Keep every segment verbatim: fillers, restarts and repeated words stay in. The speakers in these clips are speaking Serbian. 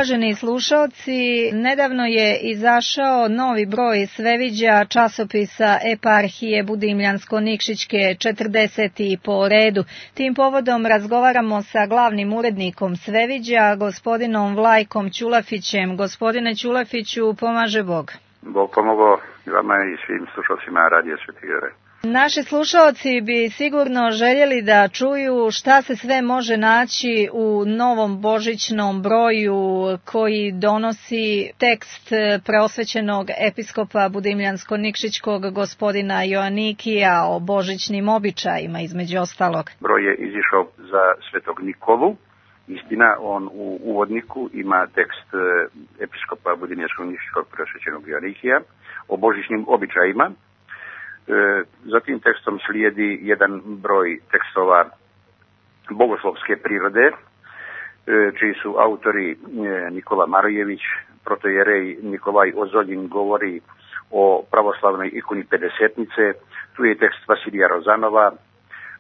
Uvaženi slušalci, nedavno je izašao novi broj Sveviđa časopisa Eparhije Budimljansko-Nikšićke, četrdeseti po redu. Tim povodom razgovaramo sa glavnim urednikom Sveviđa, gospodinom Vlajkom Ćulafićem. Gospodine Ćulafiću, pomaže Bog. Bog pomogao vama i svim slušalcima Radio Sveti Jure. Naši slušalci bi sigurno željeli da čuju šta se sve može naći u novom božićnom broju koji donosi tekst preosvećenog episkopa Budimljansko-Nikšićkog gospodina Joanikija o božićnim običajima, između ostalog. Broj je izišao za Svetog Nikolu. Istina, on u uvodniku ima tekst episkopa Budimljansko-Nikšićkog preosvećenog Joanikija o božićnim običajima. Za tim tekstom slijedi jedan broj tekstova bogoslovske prirode, čiji su autori Nikola Marojević, protojerej Nikolaj Ozoljin govori o pravoslavnoj ikoni Pedesetnice, tu je tekst Vasilija Rozanova,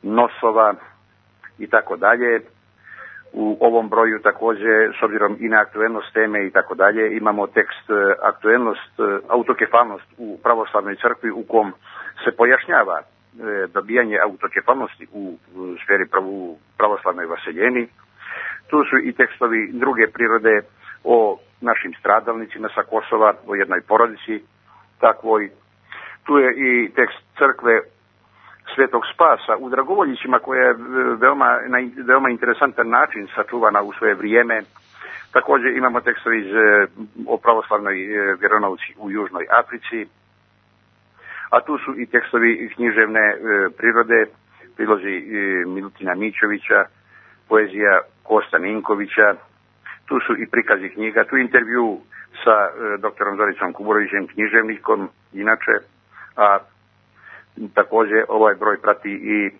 Nosova i tako dalje. U ovom broju također, s obzirom i na aktuelnost teme i tako dalje, imamo tekst aktuelnost, autokefalnost u pravoslavnoj crkvi u kom se pojašnjava dobijanje autokefalnosti u sferi pravu, pravoslavnoj vaseljeni. Tu su i tekstovi druge prirode o našim stradalnicima sa Kosova, o jednoj porodici takvoj. Tu je i tekst crkve Svetog Spasa u Dragovoljićima, koja je veoma, na veoma interesantan način sačuvana u svoje vrijeme. Također imamo tekstovi iz, o pravoslavnoj vjeronauci u Južnoj Africi, a tu su i tekstovi književne e, prirode, prilozi e, Milutina Mićovića, poezija Kosta Ninkovića, tu su i prikazi knjiga, tu intervju sa e, doktorom Zoricom Kuburovićem, književnikom, inače, a također ovaj broj prati i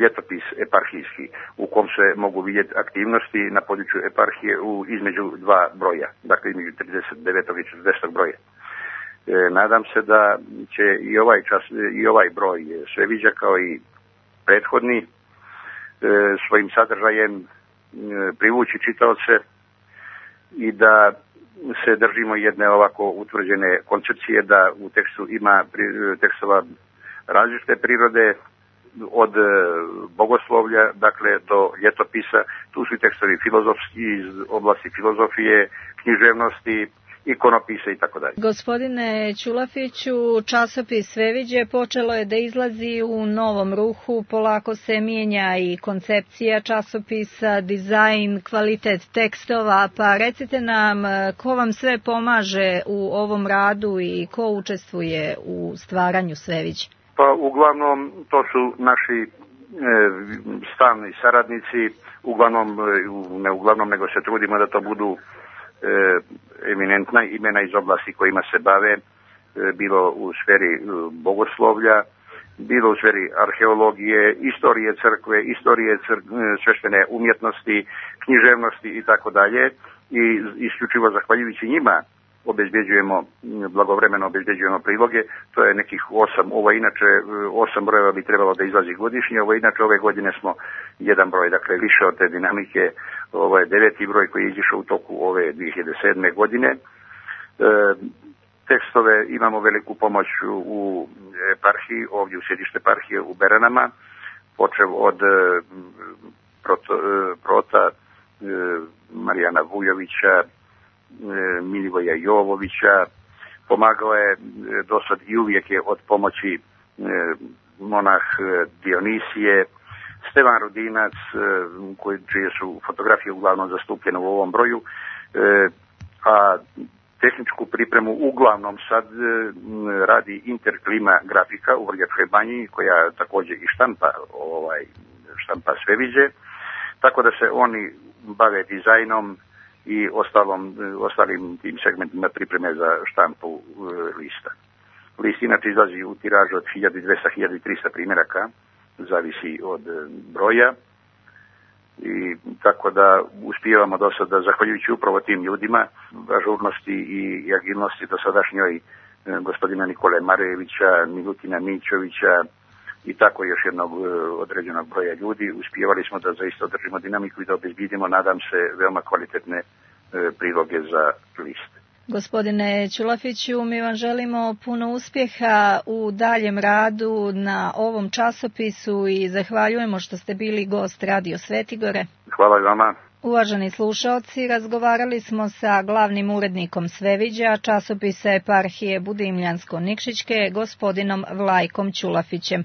ljetopis eparhijski, u kom se mogu vidjeti aktivnosti na području eparhije u između dva broja, dakle između trideset devetog i četrdesetog broja. E, nadam se da će i ovaj čas, i ovaj broj Sveviđa kao i prethodni e, svojim sadržajem e, privući čitaoce i da se držimo jedne ovako utvrđene koncepcije, da u tekstu ima tekstova različite prirode, od bogoslovlja, dakle, do ljetopisa. Tu su i tekstovi filozofski, iz oblasti filozofije, književnosti, ikonopise i tako dalje. Gospodine Ćulafiću, časopis Sveviđe počelo je da izlazi u novom ruhu, polako se mijenja i koncepcija časopisa, dizajn, kvalitet tekstova, pa recite nam ko vam sve pomaže u ovom radu i ko učestvuje u stvaranju Sveviđa? Pa uglavnom to su naši e, stalni saradnici, uglavnom, ne uglavnom nego se trudimo da to budu e, eminentna imena iz oblasti kojima se bave, e, bilo u sferi e, bogoslovlja, bilo u sferi arheologije, istorije crkve, istorije cr, sveštene umjetnosti, književnosti i tako dalje. I isključivo zahvaljujući njima obezbjeđujemo, blagovremeno obezbjeđujemo priloge, to je nekih osam, ovo inače osam brojeva bi trebalo da izlazi godišnje, ovo inače ove godine smo jedan broj, dakle više od te dinamike, ovo je deveti broj koji je izišao u toku ove dvije hiljade sedme godine. E, tekstove imamo veliku pomoć u eparhiji, ovdje u sjedište eparhije u Beranama, počev od e, proto, e, prota e, Marijana Vujovića, Milivoja Jovovića, pomagao je dosad i uvijek je od pomoći monah Dionisije, Stevan Rudinac, koji, čije su fotografije uglavnom zastupljene u ovom broju, a tehničku pripremu uglavnom sad radi Interklima grafika u Vrljačkoj banji, koja također i štampa, ovaj, štampa Sveviđe, tako da se oni bave dizajnom i ostalom, ostalim tim segmentima pripreme za štampu e, lista. List inače izlazi u tiražu od hiljadu dvesta do hiljadu trista primjeraka, zavisi od broja, i tako da uspijevamo do sada, zahvaljujući upravo tim ljudima, ažurnosti i agilnosti do sadašnjoj e, gospodina Nikole Marejevića, Milutina Mićovića i tako još jednog e, određenog broja ljudi, uspijevali smo da zaista održimo dinamiku i da obezbidimo, nadam se, veoma kvalitetne priloge za list. Gospodine Ćulafiću, mi vam želimo puno uspjeha u daljem radu na ovom časopisu i zahvaljujemo što ste bili gost Radio Svetigore. Hvala i vama. Uvaženi slušaoci, razgovarali smo sa glavnim urednikom Sveviđa, časopisa Eparhije Budimljansko-Nikšićke, gospodinom Vlajkom Ćulafićem.